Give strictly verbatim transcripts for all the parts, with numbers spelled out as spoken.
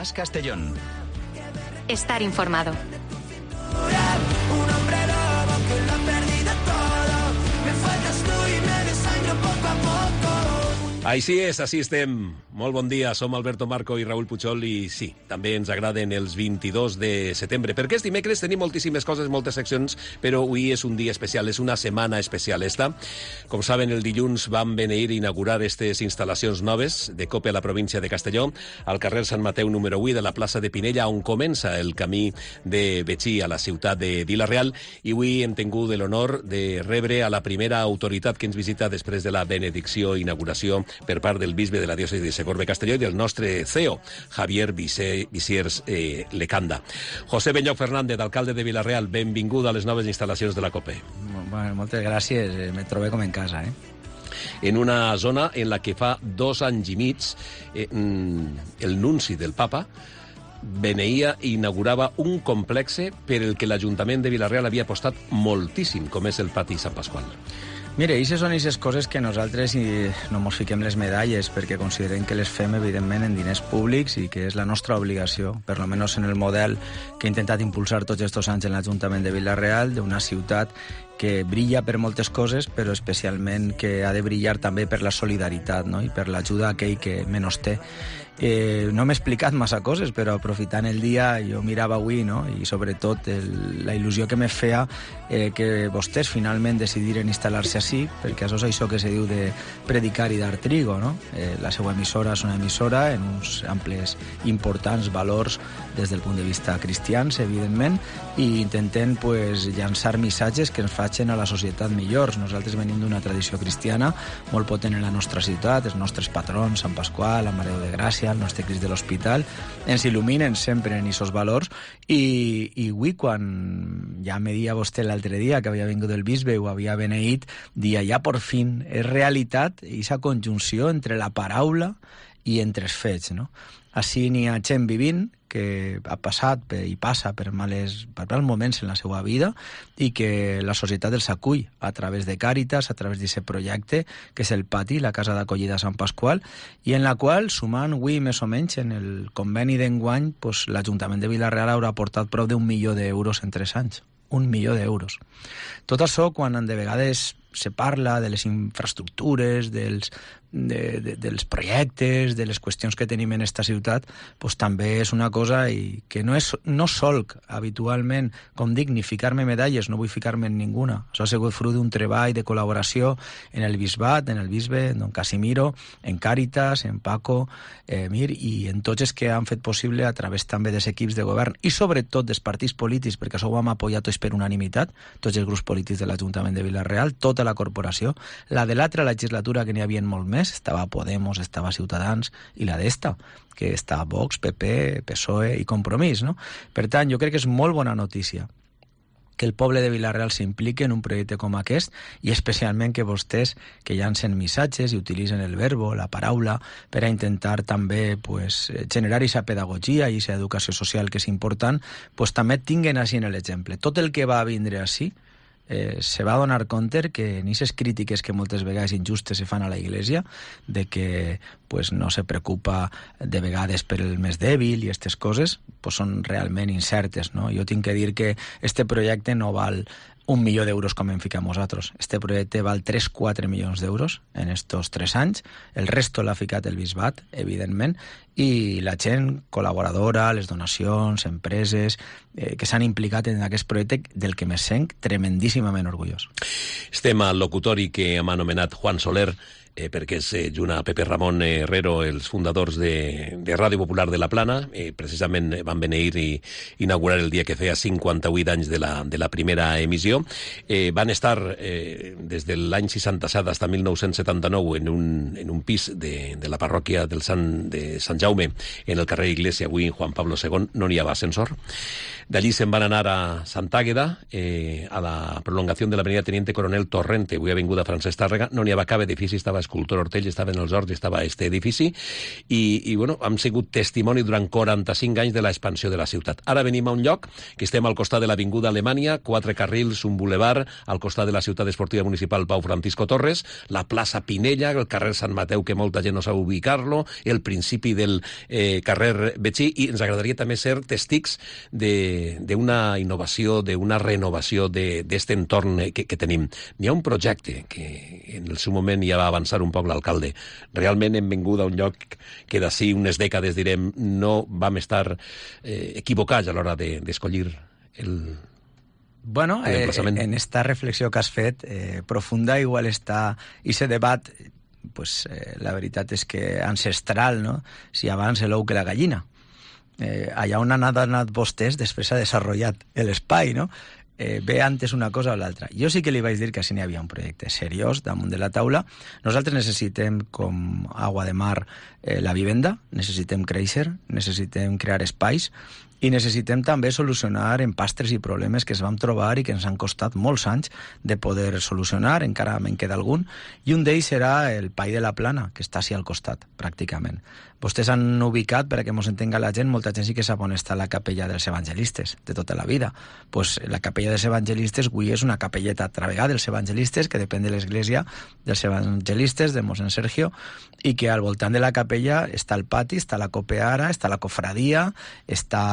Más Castellón. Estar informado. Així és, així estem. Molt bon dia, som Alberto Marco i Raúl Puchol i sí, també ens agraden els vint-i-dos de setembre, perquè és dimecres, tenim moltíssimes coses, moltes seccions, però avui és un dia especial, és una setmana especial esta. Com saben, el dilluns vam beneir i inaugurar aquestes instal·lacions noves de COPE a la província de Castelló, al carrer Sant Mateu número vuit de la plaça de Pinella, on comença el camí de Betxí a la ciutat de Vila-real, i avui hem tingut l'honor de rebre a la primera autoritat que ens visita després de la benedicció i inauguració per part del bisbe de la diòcesi de Segorbe-Castelló i del nostre C E O, Javier Visiers eh, Lecanda. José Benlloc Fernández, alcalde de Vila-real, benvingut a les noves instal·lacions de la COPE. Bueno, moltes gràcies, me trobé com en casa, eh? En una zona en la que fa dos anys i mig eh, el nunci del papa beneïa i inaugurava un complexe per el que l'Ajuntament de Vila-real havia apostat moltíssim, com és el pati Sant Pasqual. Mira, aquestes són aquestes coses que nosaltres no ens fiquem les medalles perquè considerem que les fem, evidentment, en diners públics i que és la nostra obligació, per lo menos en el model que he intentat impulsar tots aquests anys en l'Ajuntament de Vila-real, d'una ciutat que brilla per moltes coses, però especialment que ha de brillar també per la solidaritat, no? I per l'ajuda a aquell que menys té. Eh, no m'he explicat massa coses, però aprofitant el dia jo mirava avui, no? I sobretot el, la il·lusió que me feia eh, que vostès finalment decidiren instal·lar-se així, perquè això és això que se diu de predicar i dar trigo, no? Eh, la seva emissora és una emissora en uns amples importants valors des del punt de vista cristians, evidentment, i intenten pues, llançar missatges que ens facin a la societat millors. Nosaltres venim d'una tradició cristiana molt potent en la nostra ciutat, els nostres patrons, Sant Pasqual, la Mare de Gràcia, el nostre Crist de l'Hospital, ens il·luminen sempre en aquests valors i, i avui quan ja me dia vostè l'altre dia que havia vingut el bisbe i ho havia beneït, dia ja por fin és realitat aquesta conjunció entre la paraula i entre els fets, no? Així n'hi ha gent vivint que ha passat i passa per males, per mals moments en la seva vida i que la societat els acull a través de Càritas, a través d'aquest projecte que és el Pati, la Casa d'Acollida Sant Pasqual, i en la qual, sumant avui més o menys en el conveni d'enguany, pues, l'Ajuntament de Vila-real haurà aportat prop d'un milió d'euros en tres anys. Un milió d'euros. Tot això, quan de vegades se parla de les infraestructures, dels, de, de, dels projectes, de les qüestions que tenim en esta ciutat, pues, també és una cosa i que no és no solc habitualment, com dic, ni ficar-me medalles, no vull ficar-me en ninguna. Això ha sigut fruit d'un treball de col·laboració en el bisbat, en el bisbe, en don Casimiro, en Càritas, en Paco, eh, Mir, i en tots els que han fet possible a través també dels equips de govern i sobretot dels partits polítics, perquè això ho hem apoyat tots per unanimitat, tots els grups polítics de l'Ajuntament de Vila-real, tota la corporació. La de l'altra legislatura, que n'hi havia molt més, estava Podemos, estava Ciutadans, i la d'esta, que està Vox, P P, P S O E i Compromís, no? Per tant, jo crec que és molt bona notícia que el poble de Vila-real s'impliqui en un projecte com aquest i especialment que vostès que llancen missatges i utilitzen el verbo, la paraula, per a intentar també pues, generar aquesta pedagogia i aquesta educació social que és important, pues, també tinguen així en l'exemple. Tot el que va vindre així Eh, se va donar compte que en aquestes crítiques que moltes vegades injustes se fan a la Iglesia, de que pues, no se preocupa de vegades per el més dèbil i aquestes coses, pues, són realment incertes, no? Jo tinc que dir que este projecte no val un milió d'euros com hem ficat nosaltres. Este projecte val tres a quatre milions d'euros en estos tres anys. El resto l'ha ficat el bisbat, evidentment, i la gent col·laboradora, les donacions, empreses, eh, que s'han implicat en aquest projecte del que me sent tremendíssimament orgullós. Estem al locutori que hem anomenat Juan Soler, eh, perquè és eh, junt a Pepe Ramon Herrero, els fundadors de, de Ràdio Popular de la Plana. Eh, precisament van beneir i inaugurar el dia que feia cinquanta-vuit anys de la, de la primera emissió. Eh, van estar eh, des de l'any seixanta-set fins a mil nou-cents setanta-nou en un, en un pis de, de la parròquia del Sant, de Sant Jaume, en el carrer Iglesia, avui en Juan Pablo segon, no n'hi havia ascensor. D'allí se'n van anar a Sant Àgueda, eh, a la prolongació de l'avenida Teniente Coronel Torrente, avui avinguda Francesc Tàrrega. No n'hi havia cap edifici, estava Escultor Ortell, estava en els horts, estava este edifici, i, i bueno, hem sigut testimoni durant quaranta-cinc anys de l'expansió de la ciutat. Ara venim a un lloc que estem al costat de l'avinguda Alemanya, quatre carrils, un bulevar al costat de la ciutat esportiva municipal Pau Francisco Torres, la plaça Pinella, el carrer Sant Mateu, que molta gent no sap ubicar-lo, el principi del eh, carrer Betxí, i ens agradaria també ser testics d'una innovació, d'una renovació d'aquest entorn que, que tenim. N'hi ha un projecte que en el seu moment ja va avançar un poc l'alcalde. Realment hem vingut a un lloc que d'ací unes dècades, direm, no vam estar eh, equivocats a l'hora d'escollir el... Bueno, eh, en esta reflexió que has fet, eh, profunda, igual està ese debat, pues, eh, la veritat és que ancestral, no? Si abans l'ou que la gallina. Eh, allà on han anat vostès, després s'ha desenvolupat l'espai, no? Eh, ve antes una cosa o l'altra. Jo sí que li vaig dir que així n'hi havia un projecte seriós damunt de la taula. Nosaltres necessitem, com agua de mar, eh, la vivenda, necessitem créixer, necessitem crear espais, i necessitem també solucionar empastres i problemes que es vam trobar i que ens han costat molts anys de poder solucionar, encara me'n queda algun, i un d'ells serà el Pai de la Plana, que està així al costat, pràcticament. Vostès han ubicat, perquè ens entenga la gent, molta gent sí que sap on està la capella dels evangelistes, de tota la vida. Pues la capella dels evangelistes avui és una capelleta travegada dels evangelistes, que depèn de l'església dels evangelistes, de mossèn Sergio, i que al voltant de la capella està el pati, està la copeara, està la cofradia, està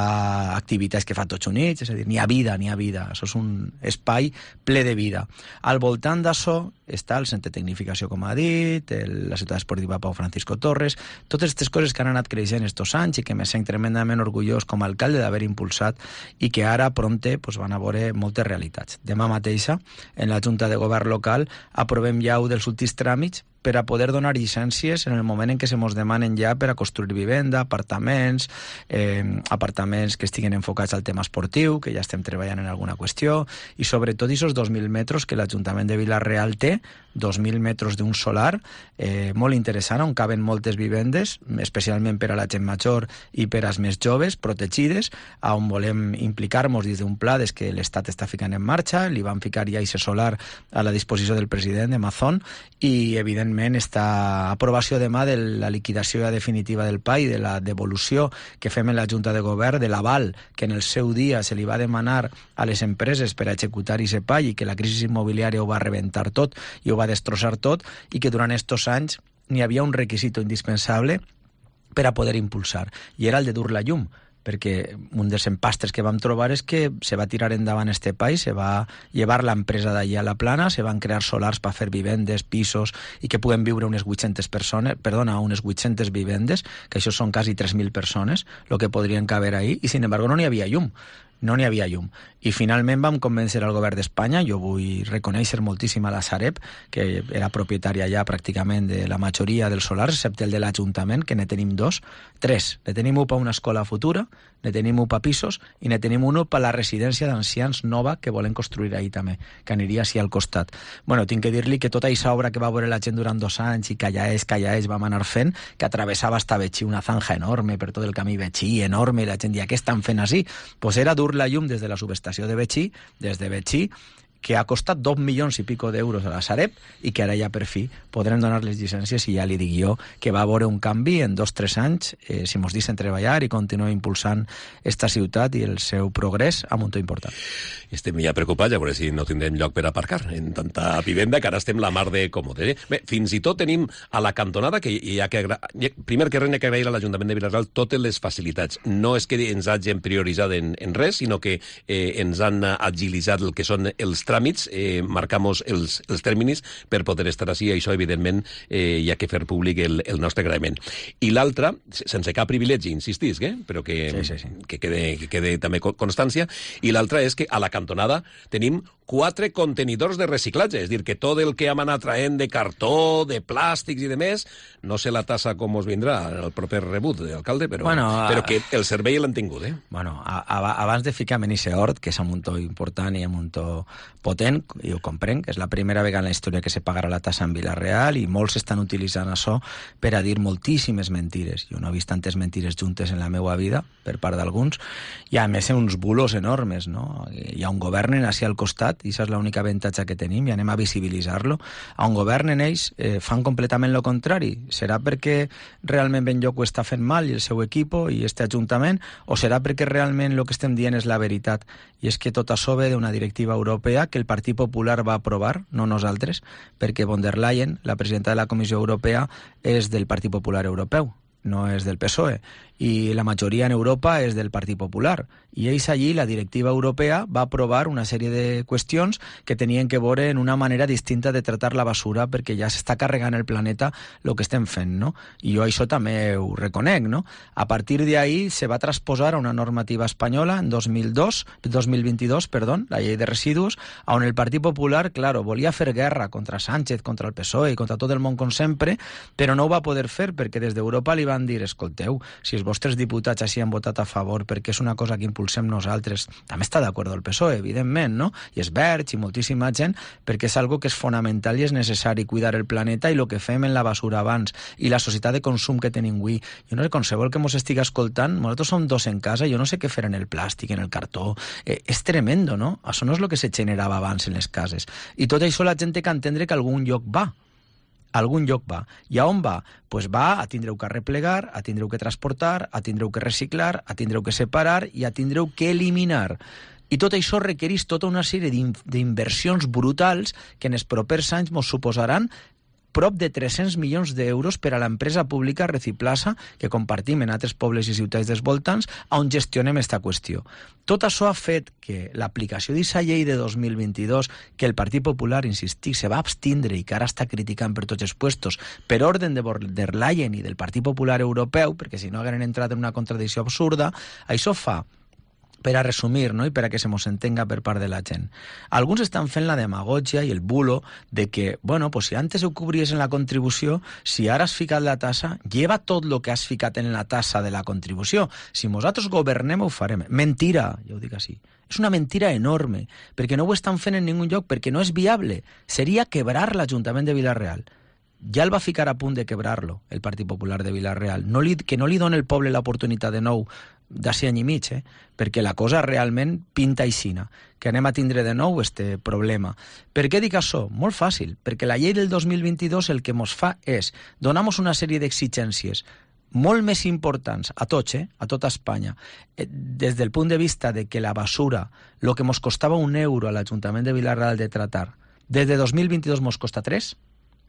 activitats que fa tots units, és a dir, n'hi ha vida, n'hi ha vida. Això és un espai ple de vida. Al voltant d'això està el centre de tecnificació, com ha dit, el, la ciutat esportiva Pau Francisco Torres, totes aquestes coses que han anat creixent estos anys i que me sent tremendament orgullós com a alcalde d'haver impulsat i que ara prompte pues, van a veure moltes realitats. Demà mateixa, en la Junta de Govern local, aprovem ja un dels últims tràmits per a poder donar llicències en el moment en què se mos demanen ja per a construir vivenda, apartaments, eh, apartaments que estiguen enfocats al tema esportiu, que ja estem treballant en alguna qüestió, i sobretot aquests dos mil metres que l'Ajuntament de Vila-real té, dos mil metres d'un solar, eh, molt interessant, on caben moltes vivendes, especialment per a la gent major i per als més joves, protegides, on volem implicar-nos dins d'un pla des que l'Estat està ficant en marxa, li van ficar ja aquest solar a la disposició del president de Mazón, i evidentment esta aprovació demà de la liquidació definitiva del P A I, de la devolució que fem en la Junta de Govern, de l'aval que en el seu dia se li va demanar a les empreses per a executar aquest P A I i que la crisi immobiliària ho va rebentar tot i ho va destrossar tot, i que durant estos anys n'hi havia un requisit indispensable per a poder impulsar, i era el de dur la llum, perquè un dels empastres que vam trobar és que se va tirar endavant este país, se va llevar l'empresa d'allà a la Plana, se van crear solars per fer vivendes, pisos, i que puguen viure unes vuit-centes persones, perdona, unes vuit-centes vivendes, que això són quasi tres mil persones, el que podrien caber ahí, i sin embargo no n'hi havia llum. No n'hi havia llum. I finalment vam convèncer al govern d'Espanya, jo vull reconèixer moltíssim a la Sareb, que era propietària ja pràcticament de la majoria dels solars, excepte el de l'Ajuntament, que ne tenim dos, tres. Ne tenim un per una escola futura, ne tenim un per pisos, i ne tenim un per la residència d'ancians nova que volen construir ahir també, que aniria així al costat. Bueno, tinc que dir-li que tota aquesta obra que va veure la gent durant dos anys i calla és, calla és, vam anar fent, que atravessava hasta Betxí, una zanja enorme per tot el camí Betxí, enorme, i la gent dia, què estan fent així? Pues era dur la llum des de la subestació de Betxí, des de Betxí, que ha costat dos milions i pico d'euros a la Sareb i que ara ja per fi podrem donar les llicències, i ja li dic jo que va haver un canvi en dos o tres anys, eh, si mos deixen treballar i continuar impulsant esta ciutat i el seu progrés a un to important. Estem ja preocupats, a veure si no tindrem lloc per aparcar en tanta vivenda, que ara estem la mar de còmode. Eh? Bé, fins i tot tenim a la cantonada, que hi ha que agra... primer que res hi ha que agrair a l'Ajuntament de Vila-real totes les facilitats. No és que ens hagin prioritzat en, en res, sinó que eh, ens han agilitzat el que són els tràmits, eh, marcamos els, els tèrmins per poder estar així, i això, evidentment, eh, hi ha que fer públic el, el nostre agraïment. I l'altra, sense cap privilegi, insistisc, eh? Però que, sí, sí, sí. que, quede, que quede també constància, i l'altra és que a la cantonada tenim quatre contenidors de reciclatge, és dir, que tot el que hem anat traient de cartó, de plàstics i de més, no sé la tassa com us vindrà el proper rebut d'alcalde, però, bueno, però que el servei l'han tingut, eh? Bueno, a, a, abans de ficar en aquest hort, que és un to important i un to potent, i ho comprenc, que és la primera vegada en la història que se pagarà la tassa en Vila-real, i molts estan utilitzant això per a dir moltíssimes mentires. Jo no he vist tantes mentires juntes en la meva vida, per part d'alguns, i a més uns bulos enormes, no? Hi ha un govern en així al costat i això és l'única avantatge que tenim i anem a visibilitzar-lo. On governen ells eh, fan completament el contrari. Serà perquè realment Benlloc ho està fent mal i el seu equip i este ajuntament, o serà perquè realment el que estem dient és la veritat? I és que tot això ve d'una directiva europea que el Partit Popular va aprovar, no nosaltres, perquè von der Leyen, la presidenta de la Comissió Europea, és del Partit Popular Europeu, no és del P S O E, i la majoria en Europa és del Partit Popular. I ells allí, la directiva europea, va aprovar una sèrie de qüestions que tenien que veure en una manera distinta de tratar la basura, perquè ja s'està carregant el planeta el que estem fent, no? I jo això també ho reconec, no? A partir d'ahí se va transposar a una normativa espanyola en dos mil dos, dos mil vint-i-dos, perdó, la llei de residus, on el Partit Popular, claro, volia fer guerra contra Sánchez, contra el P S O E i contra tot el món com sempre, però no ho va poder fer perquè des d'Europa li van dir, escolteu, si els vostres diputats així han votat a favor perquè és una cosa que impulsem nosaltres, també està d'acord el P S O E, evidentment, no? I és Verge i moltíssima gent, perquè és algo que és fonamental i és necessari cuidar el planeta i el que fem en la basura abans i la societat de consum que tenim avui. Jo no sé, qualsevol que mos estigui escoltant, nosaltres som dos en casa, jo no sé què fer en el plàstic, en el cartó, eh, és tremendo, no? Això no és el que se generava abans en les cases. I tot això la gent té que entendre que a algun lloc va. A algun lloc va. I a on va? Pues va a tindreu que replegar, a tindreu que transportar, a tindreu que reciclar, a tindreu que separar i a tindreu que eliminar. I tot això requereix tota una sèrie d'inversions brutals que en els propers anys ens suposaran prop de tres-cents milions d'euros per a l'empresa pública Reciplasa, que compartim en altres pobles i ciutats dels voltants, on gestionem aquesta qüestió. Tot això ha fet que l'aplicació d'aquesta llei de dos mil vint-i-dos, que el Partit Popular, insistir, se va abstindre i que ara està criticant per tots els puestos, per ordre de von der Leyen i del Partit Popular Europeu, perquè si no hagueren entrat en una contradicció absurda, això fa, per a resumir, no? I per a que se mos entenga per part de la gent. Alguns estan fent la demagogia i el bulo de que, bueno, pues si antes ho cobries en la contribució, si ara has ficat la tassa, lleva tot el que has ficat en la tassa de la contribució. Si nosaltres governem, ho farem. Mentira, ja ho dic així. És una mentira enorme, perquè no ho estan fent en ningú lloc, perquè no és viable. Seria quebrar l'Ajuntament de Vila-real. Ja el va ficar a punt de quebrar-lo, el Partit Popular de Vila-real. No li, que no li doni el poble l'oportunitat de nou d'ací any i mig, eh? Perquè la cosa realment pinta aixina, que anem a tindre de nou este problema. Per què dic això? Molt fàcil, perquè la llei del dos mil vint-i-dos el que mos fa és donar-nos una sèrie d'exigències molt més importants a tots, eh? A tota Espanya, eh, des del punt de vista de que la basura, el que mos costava un euro a l'Ajuntament de Vila-real de tratar, des de dos mil vint-i-dos mos costa tres,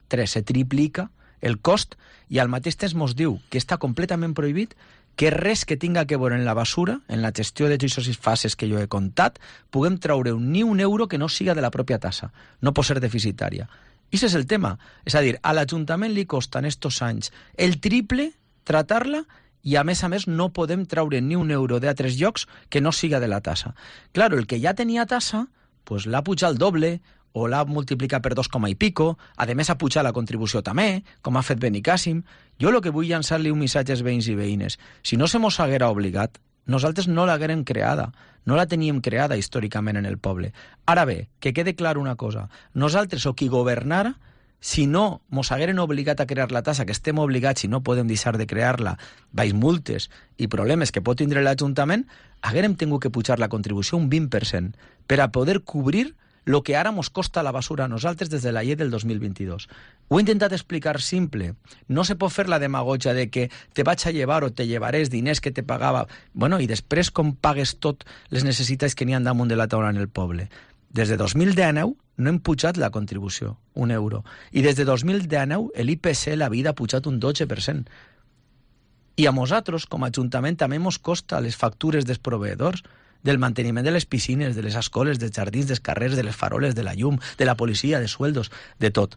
tres, se triplica el cost, i al mateix temps mos diu que està completament prohibit que res que tinga que veure en la basura, en la gestió de aquestes fases que jo he contat, puguem treure ni un euro que no siga de la pròpia tassa. No pot ser deficitària. I aquest és el tema. És a dir, a l'Ajuntament li costa en estos anys el triple tratar-la i, a més a més, no podem treure ni un euro d'altres llocs que no siga de la tassa. Claro, el que ja tenia tassa, pues l'ha pujat el doble, o l'ha multiplicat per dos coma i pico, a més ha pujat la contribució també, com ha fet Benicàssim. Jo el que vull llançar-li un missatge als veïns i veïnes. Si no se mos haguera obligat, nosaltres no l'haguérem creada, no la teníem creada històricament en el poble. Ara bé, que quede clar una cosa, nosaltres o qui governara, si no mos hagueren obligat a crear la tassa, que estem obligats i no podem deixar de crear-la, baix multes i problemes que pot tindre l'Ajuntament, haguérem tingut que pujar la contribució un vint per cent per a poder cobrir el que ara mos costa la basura a nosaltres des de la llei del dos mil vint-i-dos. Ho he intentat explicar simple. No se pot fer la demagogia de que te vaig a llevar o te llevaré els diners que te pagava. Bueno, i després com pagues tot les necessitats que n'hi ha damunt de la taula en el poble. Des de dos mil dinou no hem pujat la contribució, un euro. I des de dos mil dinou l'I P C, la vida, ha pujat un dotze per cent. I a nosaltres, com a Ajuntament, també mos costa les factures dels proveïdors, del manteniment de les piscines, de les escoles, dels jardins, dels carrers, de les faroles, de la llum, de la policia, de sueldos, de tot.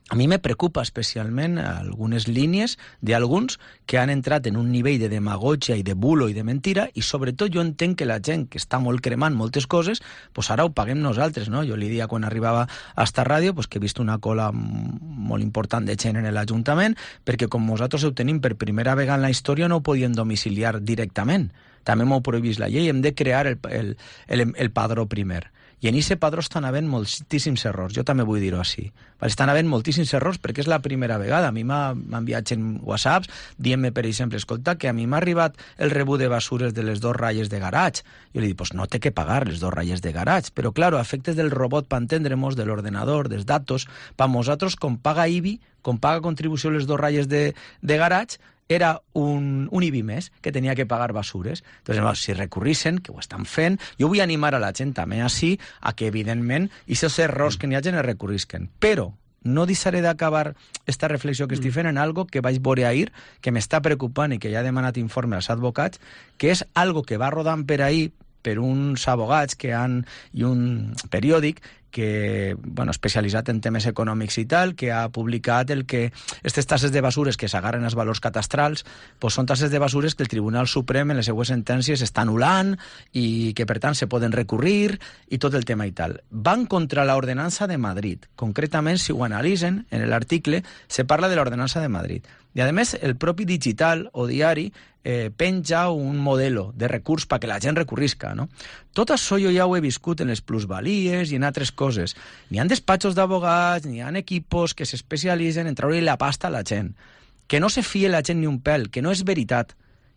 A mi me preocupa especialment algunes línies d'alguns que han entrat en un nivell de demagogia i de bulo i de mentira, i sobretot jo entenc que la gent que està molt cremant moltes coses, pues ara ho paguem nosaltres, no? Jo li dia quan arribava a esta ràdio pues que he vist una cola molt important de gent en l'Ajuntament, perquè com nosaltres ho tenim per primera vegada en la història no ho podien domiciliar directament. També m'ho prohibís la llei, hem de crear el, el, el, el padró primer. I en ese padró estan havent moltíssims errors, jo també vull dir-ho així. Estan havent moltíssims errors perquè és la primera vegada. A mi m'han enviat en whatsapps dient-me, per exemple, escolta, que a mi m'ha arribat el rebut de basures de les dos ratlles de garatge. Jo li dic, pues no té que pagar les dos ratlles de garatge. Però, claro, a efectes del robot, per entendre-mos, de l'ordenador, dels datos, per nosaltres, com paga I B I, com paga contribució les dos ratlles de, de garatge, era un, un I B I més que tenia que pagar basures. Entonces, si recurrissen, que ho estan fent, jo vull animar a la gent també així a que, evidentment, aquests errors que n'hi hagi es recurrisquen. Però no deixaré d'acabar esta reflexió que estic fent en algo que vaig veure ahir, que m'està preocupant i que ja he demanat informe als advocats, que és algo que va rodant per ahir per uns abogats que han, i un periòdic que, bueno, especialitzat en temes econòmics i tal, que ha publicat el que aquestes tasses de basures que s'agarren als valors catastrals pues són tasses de basures que el Tribunal Suprem en les seues sentències està anul·lant i que, per tant, se poden recurrir i tot el tema i tal. Van contra l'ordenança de Madrid. Concretament, si ho analitzen, en l'article se parla de l'ordenança de Madrid. I, a més, el propi digital o diari eh, penja un modelo de recurs perquè la gent recurrisca, no? Tot això jo ja ho he viscut en les plusvalies i en altres coses. N'hi ha despatxos d'abogats, n'hi ha equipos que s'especialitzen en treure la pasta a la gent. Que no se fie la gent ni un pèl, que no és veritat.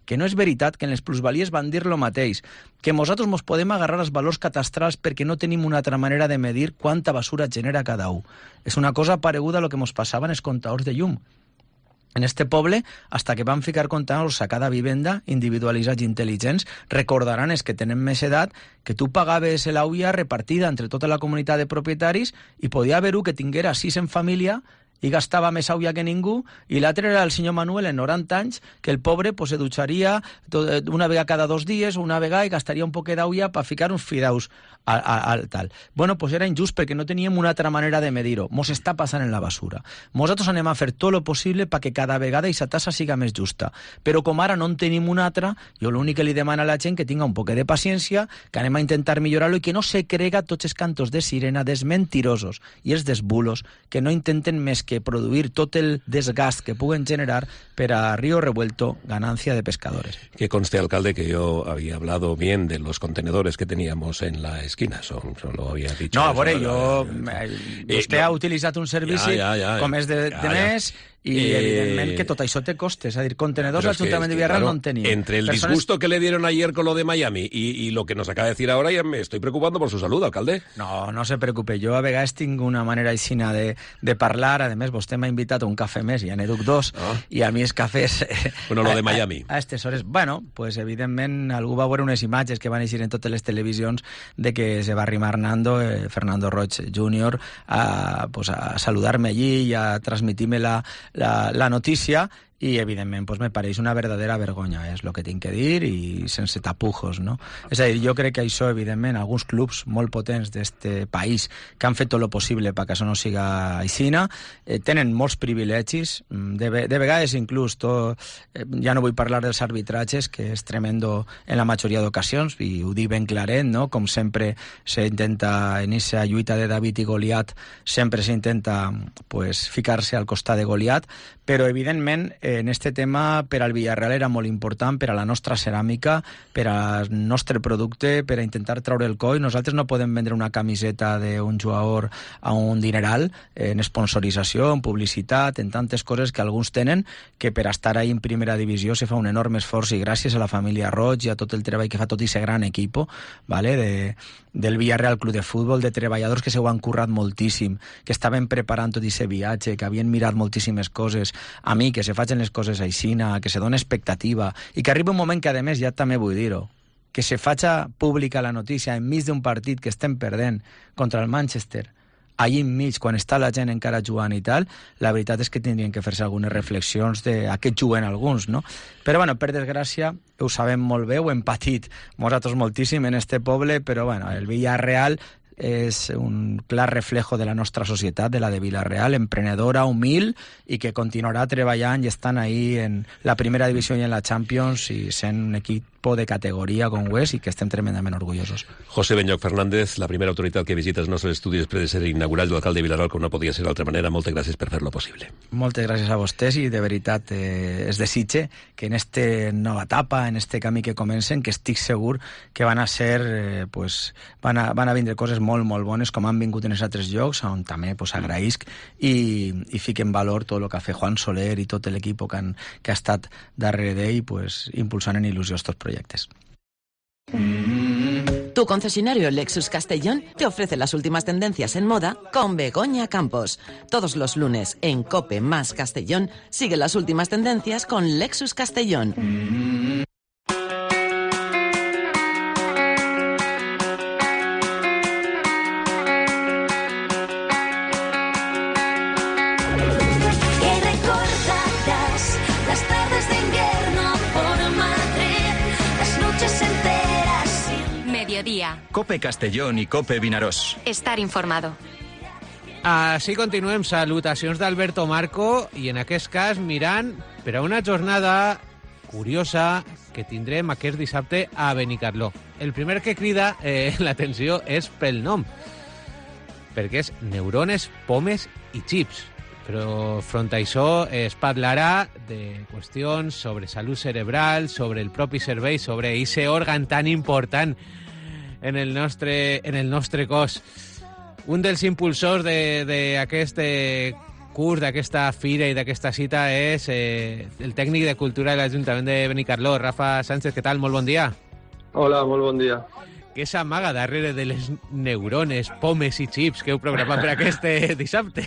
Que no és veritat que en les plusvalies van dir lo mateix, que nosaltres mos podem agarrar als valors catastrals perquè no tenim una altra manera de medir quanta basura genera cada un. És una cosa pareguda a lo que mos passava en els comptadors de llum. En este poble, hasta que van ficar comptadors a cada vivenda, individualitzats i intel·ligents, recordaran els que tenen més edat que tu pagaves l'auia repartida entre tota la comunitat de propietaris i podia haver-ho que tinguera sis en família i gastava més auia que ningú, i l'altre era el senyor Manuel, en noranta anys, que el pobre pues, se dutxaria una vegada cada dos dies o una vegada i gastaria un poquet d'auia per ficar uns fideus al, al tal. Bueno, pues era injust perquè no teníem una altra manera de medir-ho. Mos està passant en la basura. Nosaltres anem a fer tot lo possible perquè cada vegada aquesta tassa siga més justa. Però com ara no en tenim una altra, jo l'únic que li demano a la gent que tinga un poquet de paciència, que anem a intentar millorar-lo i que no se crega tots els cantos de sirena dels mentirosos i els desbulos que no intenten més que produir tot el desgast que puguen generar per a río revuelto, ganancia de pescadores. Que conste, alcalde, que yo había hablado bien de los contenedores que teníamos en la esquina. Son, solo había dicho... No, a eso, veure, la, jo... la, eh, vostè no, ha utilitzat un servici ja, ja, ja, com és de, ja, de ja. més i, Eh, evidentment, que tot això té costes. És a dir, contenedors al Ajuntament de Villarreal claro, no en tenim. Entre el Persones... disgusto que le dieron ayer con lo de Miami y, y lo que nos acaba de decir ahora, ya me estoy preocupando por su salud, alcalde. No, no se preocupe. Jo a vegades tinc una manera aixina de, de parlar. A més, vostè m'ha invitat a un cafè més, ja n'he duc dos, Ah. i a mi els cafès... Bueno, lo de Miami. A aquestes hores... Bueno, pues evidentment algú va veure unes imatges que van eixir en totes les televisions de que se va arrimar Nando, eh, Fernando Roig júnior, a, pues, a saludar-me allí i a transmitir-me la, la, la notícia, i evidentment pues, me pareix una verdadera vergonya, és el que tinc que dir, i sense tapujos, no? És a dir, jo crec que això, evidentment, alguns clubs molt potents d'este país que han fet tot el possible perquè això no siga aixina, eh, tenen molts privilegis, de, de vegades inclús tot, eh, ja no vull parlar dels arbitratges, que és tremendo en la majoria d'ocasions, i ho dic ben claret, no? Com sempre s'intenta, en aquesta lluita de David i Goliat, sempre s'intenta pues, ficar-se al costat de Goliat, però evidentment en este tema per al Villarreal era molt important, per a la nostra ceràmica, per al nostre producte, per a intentar treure el coll. Nosaltres no podem vendre una camiseta d'un jugador a un dineral en sponsorització, en publicitat, en tantes coses que alguns tenen, que per estar ahí en primera divisió se fa un enorme esforç, i gràcies a la família Roig i a tot el treball que fa tot aquest gran equip, ¿vale? de, del Villarreal Club de Futbol, de treballadors que s'ho han currat moltíssim, que estaven preparant tot aquest viatge, que havien mirat moltíssimes coses. A mi, que se facin les coses aixina, que se dona expectativa, i que arriba un moment que, a més, ja també vull dir-ho, que se faci pública la notícia enmig d'un partit que estem perdent contra el Manchester, allí enmig, quan està la gent encara jugant i tal, la veritat és que tindrien que fer-se algunes reflexions de a què juguen alguns, no? Però, bueno, per desgràcia, ho sabem molt bé, ho hem patit nosaltres moltíssim en este poble, però, bueno, el Villarreal és un clar reflejo de la nostra societat, de la de Villarreal, emprenedora, humil, i que continuarà treballant i estant ahí en la primera divisió i en la Champions, i sent un equip equipo de categoria com ho és i que estem tremendament orgullosos. José Benyoc Fernández, la primera autoritat que visita els nostres estudis després de ser inaugurat l'alcalde de Vilarol, com no podia ser d'altra manera. Moltes gràcies per fer-lo possible. Moltes gràcies a vostès i de veritat eh, es desitge que en esta nova etapa, en este camí que comencen, que estic segur que van a ser, eh, pues, van a, van a vindre coses molt, molt bones com han vingut en els altres llocs, on també pues, agraïsc i, i fic en valor tot el que ha fet Juan Soler i tot l'equip que, han, que ha estat darrere d'ell pues, impulsant en il·lusió estos proyectos. Tu concesionario Lexus Castellón te ofrece las últimas tendencias en moda con Begoña Campos. Todos los lunes en COPE más Castellón sigue las últimas tendencias con Lexus Castellón. Mediodía. COPE Castellón i COPE Vinaròs. Estar informado. Així continuem. Salutacions d'Alberto Marco i en aquest cas mirant per a una jornada curiosa que tindrem aquest dissabte a Benicarló. El primer que crida eh, l'atenció és pel nom, perquè és neurones, pomes i xips. Però front a això es parlarà de qüestions sobre salut cerebral, sobre el propi cervell, sobre aquest òrgan tan important en el nostre, en el nostre cos. Un dels impulsors d'aquest curs, d'aquesta fira i d'aquesta cita és eh, el tècnic de cultura de l'Ajuntament de Benicarló, Rafa Sánchez. Què tal? Molt bon dia. Hola, molt bon dia. Què s'amaga darrere de les neurones, pomes i xips que heu programat per aquest dissabte?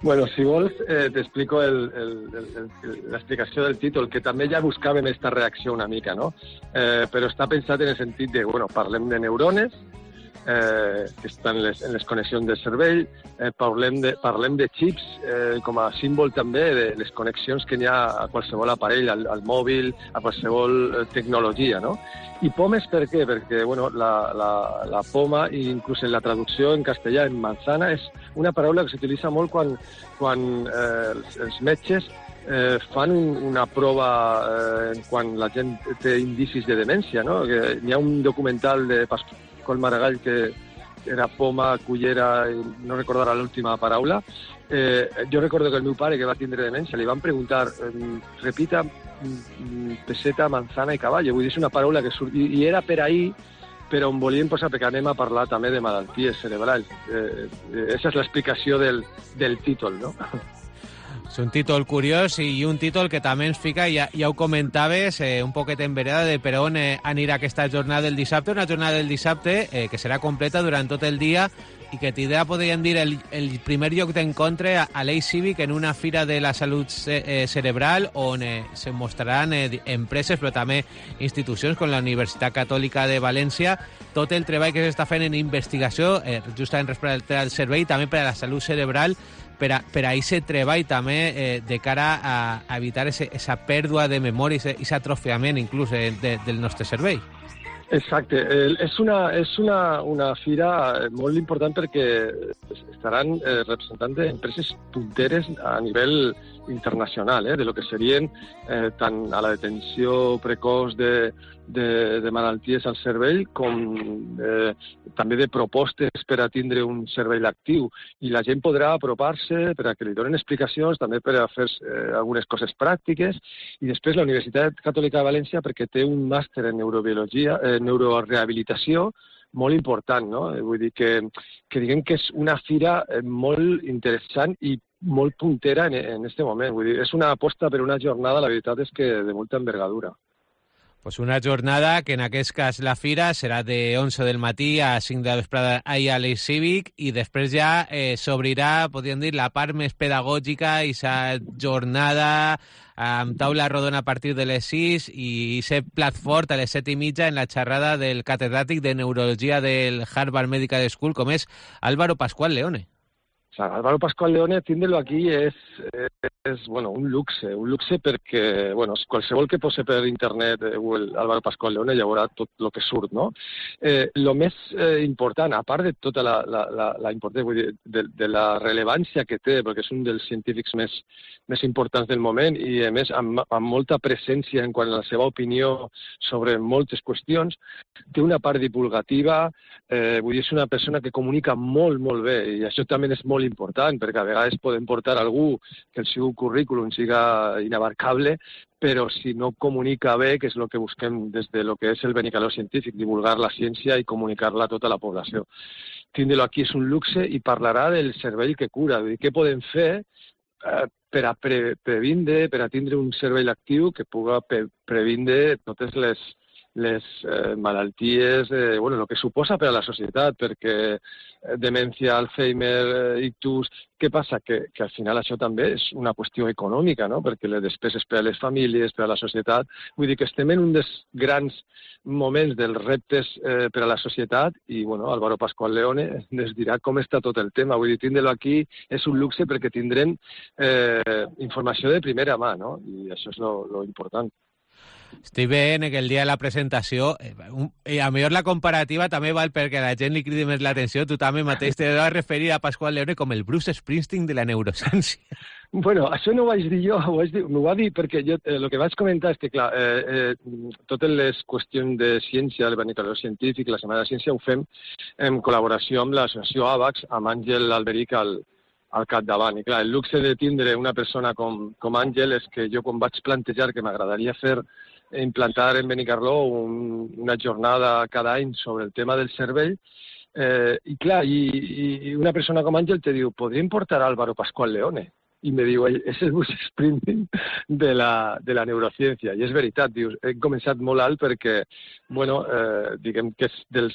Bueno, si vols, eh, t'explico el, el, el, el, l'explicació del títol, que també ja buscàvem aquesta reacció una mica, no? Eh, però està pensat en el sentit de, bueno, parlem de neurones, eh, que estan en les, en les connexions del cervell, eh, parlem, de, parlem de xips eh, com a símbol també de les connexions que hi ha a qualsevol aparell, al, al mòbil, a qualsevol eh, tecnologia, no? I pomes per què? Perquè bueno, la, la, la poma, i inclús en la traducció en castellà, en manzana, és una paraula que s'utilitza molt quan, quan eh, els, els metges eh, fan un, una prova eh, quan la gent té indicis de demència, no? Que hi ha un documental de Pasqual Maragall que era poma, cullera, no recordarà l'última paraula. Eh, jo recordo que el meu pare, que va tindre demència, li van preguntar, eh, repita peseta, manzana i cavall. Vull dir, és una paraula que surt... I, i era per ahir, però on volíem posar, perquè anem a parlar també de malalties cerebrals. Eh, eh, esa és l'explicació del, del títol, no? És un títol curiós i un títol que també ens fica, ja, ja ho comentaves, eh, un poquet en vereda de per on eh, anirà aquesta jornada del dissabte, una jornada del dissabte eh, que serà completa durant tot el dia i que tindrà, podríem dir, el, el primer lloc d'encontre a, a l'Eix Cívic en una fira de la salut ce, eh, cerebral on eh, se mostraran eh, empreses però també institucions com la Universitat Catòlica de València, tot el treball que s'està fent en investigació eh, justament respecte al cervell i també per a la salut cerebral, per a, per a aquest treball també eh, de cara a, a evitar aquesta pèrdua de memòria i aquest atrofiament inclús eh, de, del nostre cervell. Exacte. Eh, és una, és una, una fira molt important perquè estaran eh, representant d'empreses punteres a nivell internacional, eh, de lo que serien eh, tant a la detenció precoç de, de, de malalties al cervell com eh, també de propostes per a tindre un cervell actiu. I la gent podrà apropar-se per a que li donen explicacions, també per a fer eh, algunes coses pràctiques. I després la Universitat Catòlica de València, perquè té un màster en neurobiologia, eh, neurorehabilitació, molt important, no? Vull dir que, que diguem que és una fira molt interessant i molt puntera en, en este moment. Vull dir, és una aposta per una jornada, la veritat és que de molta envergadura. Pues una jornada que en aquest cas la fira serà de onze del matí a cinc de la vesprada a l'Eix Cívic i després ja eh, s'obrirà, podríem dir, la part més pedagògica i aquesta jornada amb taula rodona a partir de les sis i aquest plat fort a les set i mitja en la xerrada del catedràtic de Neurologia del Harvard Medical School, com és Álvaro Pascual Leone. O sea, Álvaro Pascual Leone, tindre-lo aquí és, és bueno, un luxe, un luxe perquè, bueno, qualsevol que posi per internet eh, Álvaro Pascual Leone ja veurà tot el que surt, no? Eh, lo més eh, important, a part de tota la, la, la, la importància, vull dir, de, de la rellevància que té, perquè és un dels científics més, més importants del moment i, a més, amb, amb molta presència en quant a la seva opinió sobre moltes qüestions, té una part divulgativa, eh, vull dir, és una persona que comunica molt, molt bé, i això també és molt important, perquè a vegades podem portar algú que el seu currículum siga inabarcable, però si no comunica bé, que és el que busquem des de lo que és el Benicaló científic, divulgar la ciència i comunicar-la a tota la població. Tindre-lo aquí és un luxe i parlarà del cervell que cura, vull dir, què podem fer eh, per a pre previndre, per a tindre un cervell actiu que puga pre previndre totes les les eh, malalties, eh, bueno, el que suposa per a la societat, perquè eh, demència, Alzheimer, eh, ictus, què passa? Que, que al final això també és una qüestió econòmica, no? Perquè les despeses per a les famílies, per a la societat, vull dir que estem en un dels grans moments dels reptes eh, per a la societat i, bueno, Álvaro Pascual Leone ens dirà com està tot el tema. Vull dir, tindre-lo aquí és un luxe perquè tindrem eh, informació de primera mà, no? I això és lo, lo important. Estic veient que el dia de la presentació, eh, un, eh, a millor la comparativa també val perquè la gent li cridi més l'atenció, tu també mateix te vas referir a Pascual Leone com el Bruce Springsteen de la neurociència. Bueno, això no ho vaig dir jo, ho vaig dir, m'ho va dir perquè jo, eh, el que vaig comentar és que, clar, eh, eh, totes les qüestions de ciència, el Benicaló científic, la Setmana de Ciència, ho fem en col·laboració amb l'associació AVAX, amb Àngel Alberic al, al capdavant. I clar, el luxe de tindre una persona com, com Àngel és que jo quan vaig plantejar que m'agradaria fer implantar en Benicarló un, una jornada cada any sobre el tema del cervell, eh, i clar, i, i una persona com Àngel te diu, podríem portar a Álvaro Pascual Leone? I me diu, és el Bruce Springsteen de la, de la neurociència. I és veritat, dius, he començat molt alt perquè, bueno, eh, diguem que és dels,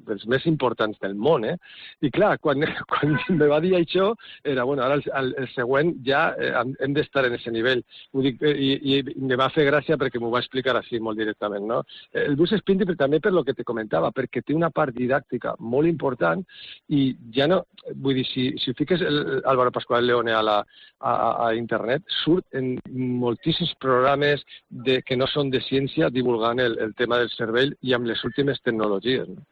dels més importants del món, eh? I clar, quan, quan me va dir això, era, bueno, ara el, el, el següent ja eh, hem d'estar en aquest nivell. Ho dic, i, i me va fer gràcia perquè m'ho va explicar així molt directament, no? El Bruce Springsteen també per lo que te comentava, perquè té una part didàctica molt important i ja no, vull dir, si, si fiques el Álvaro Pascual Leone a la A, a internet, surt en moltíssims programes de, que no són de ciència divulgant el, el tema del cervell i amb les últimes tecnologies, no?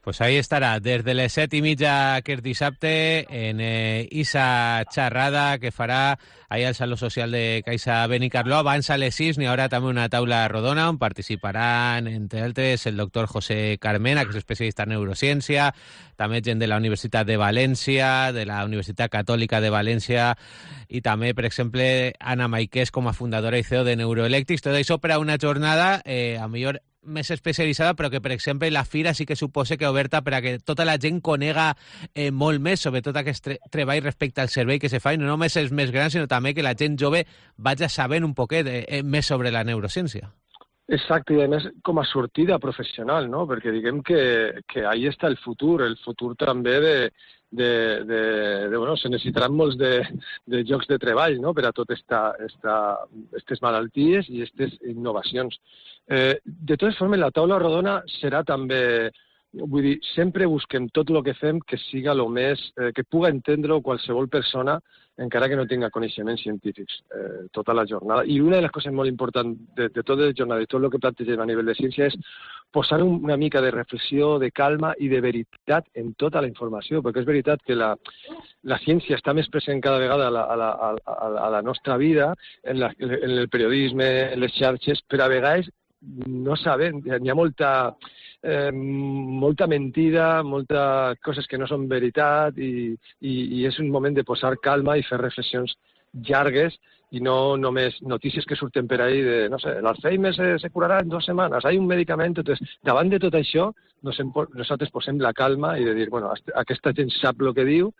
Pues ahí estarà, des de les set i mitja aquest dissabte, en eh, Isa xerrada que farà allà al Saló Social de Caixa Benicarló. Abans a les sis n'hi haurà també una taula rodona on participaran, entre altres, el doctor José Carmena, que és especialista en neurociència, també gent de la Universitat de València, de la Universitat Catòlica de València, i també, per exemple, Anna Maiqués com a fundadora i C E O de Neuroelectrics. Tot això per a una jornada, eh, a millor més especialitzada, però que, per exemple, la fira sí que suposa que oberta per a que tota la gent conega eh, molt més, sobretot aquest tre treball respecte al servei que se fa, i no només els més grans, sinó també que la gent jove vagi sabent un poquet eh, més sobre la neurociència. Exacte, i a més com a sortida professional, no? Perquè diguem que, que ahí està el futur, el futur també de, de, de, de bueno, se necessitaran molts de, de llocs de treball, no? Per a totes esta, esta, estes malalties i aquestes innovacions. Eh, de totes formes, la taula rodona serà també, vull dir, sempre busquem tot el que fem que siga el més, eh, que puga entendre qualsevol persona, encara que no tinga coneixements científics, eh, tota la jornada. I una de les coses molt importants de, de tota la jornada, de tot el que plantegem a nivell de ciència, és posar una mica de reflexió, de calma i de veritat en tota la informació, perquè és veritat que la, la ciència està més present cada vegada a la, a la, a la, a la nostra vida, en, la, en el periodisme, en les xarxes, però a vegades no sabem, hi ha molta, eh, molta mentida, moltes coses que no són veritat i, i, i és un moment de posar calma i fer reflexions llargues i no només notícies que surten per ahí de, no sé, l'Alzheimer se, se curarà en dues setmanes, hi ha un medicament. Entonces, davant de tot això, nosaltres posem la calma i de dir, bueno, aquesta gent sap el que diu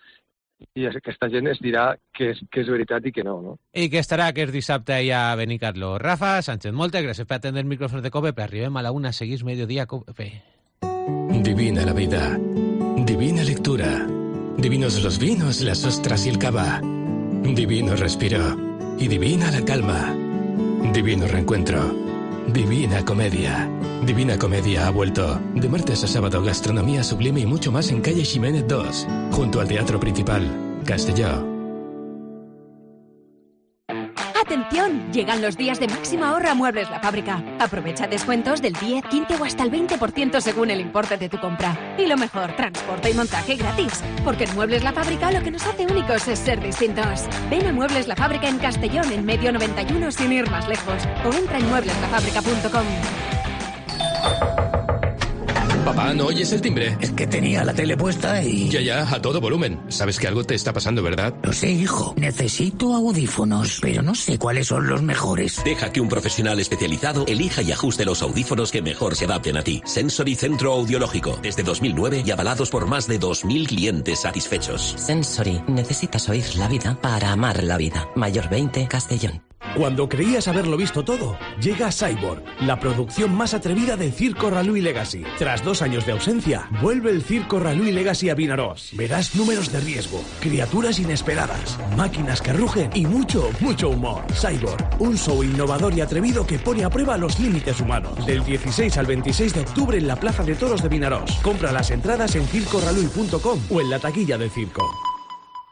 i aquesta gent es dirà que és, que és veritat i que no, no? I que estarà aquest dissabte allà a Benicarló. Rafa Sánchez, moltes gràcies per atendre el micrófono de COPE, però arribem a la una, seguís Mediodía COPE. Divina la vida, divina lectura, divinos los vinos, las ostras y el cava, divino respiro y divina la calma, divino reencuentro, divina comedia. Divina Comedia ha vuelto. De martes a sábado, gastronomía sublime y mucho más en calle Ximénez dos, junto al Teatro Principal, Castelló. ¡Atención! Llegan los días de máxima ahorra a Muebles La Fábrica. Aprovecha descuentos del diez, quince o hasta el veinte por ciento según el importe de tu compra. Y lo mejor, transporte y montaje gratis. Porque en Muebles La Fábrica lo que nos hace únicos es ser distintos. Ven a Muebles La Fábrica en Castellón, en Medio noventa y uno, sin ir más lejos. O entra en muebles la fábrica punto com. Papá, ¿no oyes el timbre? Es que tenía la tele puesta y... Ya, ya, a todo volumen. Sabes que algo te está pasando, ¿verdad? Lo sé, hijo. Necesito audífonos, pero no sé cuáles son los mejores. Deja que un profesional especializado elija y ajuste los audífonos que mejor se adapten a ti. Sensory Centro Audiológico. Desde dos mil nueve y avalados por más de dos mil clientes satisfechos. Sensory. Necesitas oír la vida para amar la vida. Mayor veinte, Castellón. Cuando creías haberlo visto todo, llega Cyborg, la producción más atrevida del Circo Ralui Legacy. Tras dos años de ausencia, vuelve el Circo Ralui Legacy a Vinaròs. Verás números de riesgo, criaturas inesperadas, máquinas que rugen y mucho, mucho humor. Cyborg, un show innovador y atrevido que pone a prueba los límites humanos. Del dieciséis al veintiséis de octubre en la Plaza de Toros de Vinaròs. Compra las entradas en circo ralui punto com o en la taquilla del circo.